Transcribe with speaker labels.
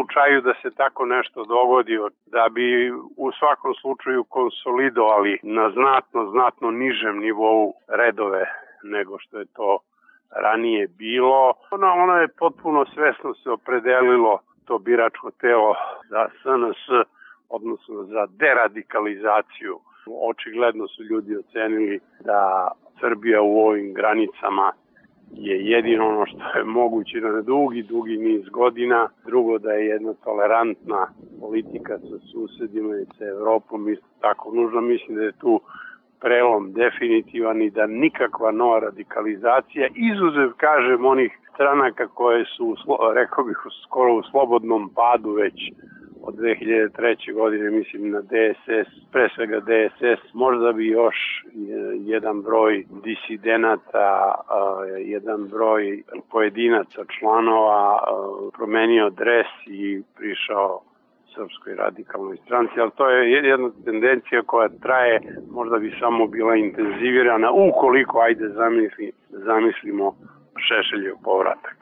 Speaker 1: slučaju da se tako nešto dogodi, da bi u svakom slučaju konsolidovali na znatno nižem nivou redove nego što je to ranije bilo. Ono je potpuno svesno se opredelilo, to biračko telo, za SNS, odnosno za deradikalizaciju. Očigledno su ljudi ocenili da Srbija u ovim granicama je jedino ono što je moguće na dugi niz godina. Drugo, da je jedna tolerantna politika sa susedima i sa Evropom isto tako nužno. Mislim da je tu prelom definitivan i da nikakva nova radikalizacija, izuzev, kažem, onih stranaka koje su, rekao bih, skoro u slobodnom padu već od 2003. godine, mislim na DSS, pre svega DSS, možda bi još jedan broj disidenata, jedan broj pojedinaca, članova promenio dres i prišao Srpskoj radikalnoj stranci, ali to je jedna tendencija koja traje, možda bi samo bila intenzivirana ukoliko, ajde zamislimo, Šešeljev povratak.